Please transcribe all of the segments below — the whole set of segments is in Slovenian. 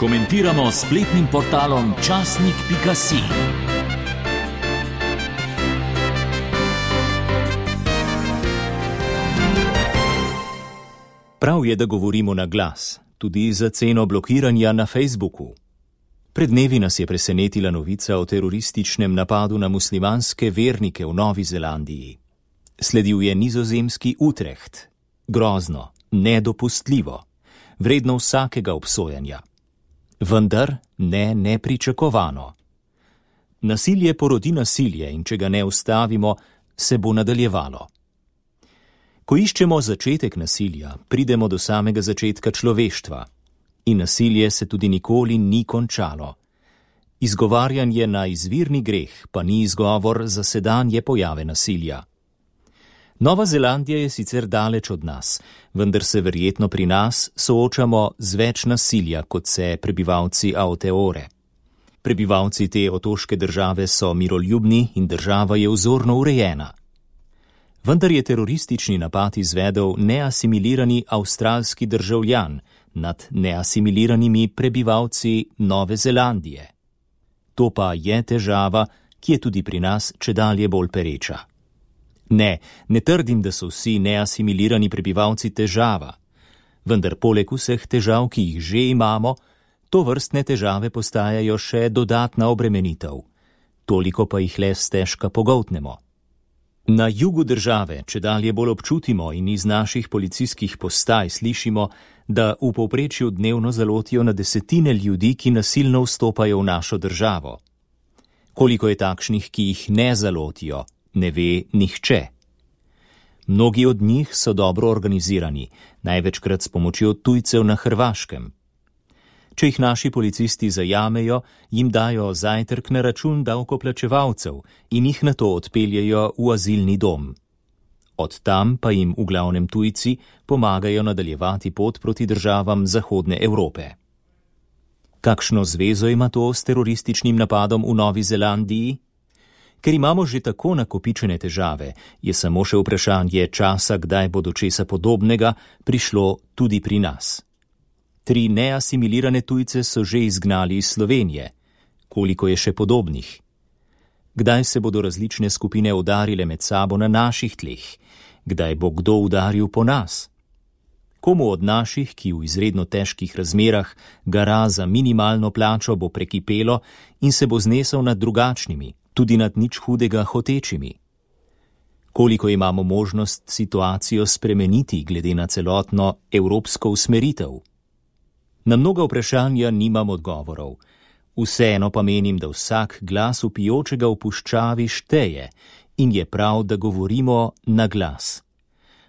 Komentiramo s spletnim portalom časnik.si. Prav je, da govorimo na glas, tudi za ceno blokiranja na Facebooku. Pred dnevi nas je presenetila novica o terorističnem napadu na muslimanske vernike v Novi Zelandiji. Sledil je nizozemski Utrecht. Grozno, nedopustljivo, vredno vsakega obsojanja. Vendar ne nepričakovano. Nasilje porodi nasilje in če ga ne ustavimo, se bo nadaljevalo. Ko iščemo začetek nasilja, pridemo do samega začetka človeštva. In nasilje se tudi nikoli ni končalo. Izgovarjanje na izvirni greh pa ni izgovor za sedanje pojave nasilja. Nova Zelandija je sicer daleč od nas, vendar se verjetno pri nas soočamo z več nasilja, kot se prebivalci Aoteore. Prebivalci te otoške države so miroljubni in država je vzorno urejena. Vendar je teroristični napad izvedel neasimilirani avstralski državljan nad neasimiliranimi prebivalci Nove Zelandije. To pa je težava, ki je tudi pri nas čedalje bolj pereča. Ne trdim, da so vsi neasimilirani prebivalci težava, vendar poleg vseh težav, ki jih že imamo, tovrstne težave postajajo še dodatna obremenitev, toliko pa jih le stežka pogoltnemo. Na jugu države čedalje bolj občutimo in iz naših policijskih postaj slišimo, da v povprečju dnevno zalotijo na desetine ljudi, ki nasilno vstopajo v našo državo. Koliko je takšnih, ki jih ne zalotijo, ne ve nihče. Mnogi od njih so dobro organizirani, največkrat s pomočjo tujcev na Hrvaškem. Če jih naši policisti zajamejo, jim dajo zajtrk na račun davkoplačevalcev in jih nato odpeljejo v azilni dom. Od tam pa jim v glavnem tujci pomagajo nadaljevati pot proti državam Zahodne Evrope. Kakšno zvezo ima to s terorističnim napadom v Novi Zelandiji? Ker imamo že tako nakopičene težave, je samo še vprašanje časa, kdaj bo do česa podobnega prišlo tudi pri nas. 3 neasimilirane tujce so že izgnali iz Slovenije. Koliko je še podobnih? Kdaj se bodo različne skupine udarile med sabo na naših tleh? Kdaj bo kdo udaril po nas? Komu od naših, ki v izredno težkih razmerah gara za minimalno plačo, bo prekipelo in se bo znesel nad drugačnimi, tudi nad nič hudega hotečimi? Koliko imamo možnost situacijo spremeniti glede na celotno evropsko usmeritev? Na mnoga vprašanja nimam odgovorov. Vseeno pa menim, da vsak glas vpijočega v puščavi šteje in je prav, da govorimo na glas.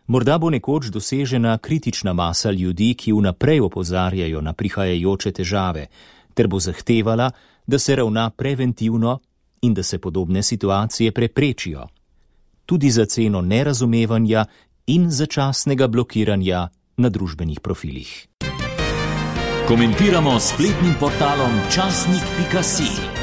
Morda bo nekoč dosežena kritična masa ljudi, ki vnaprej opozarjajo na prihajajoče težave, ter bo zahtevala, da se ravna preventivno in da se podobne situacije preprečijo. Tudi za ceno nerazumevanja in začasnega blokiranja na družbenih profilih. Komentiramo s spletnim portalom časnik.si.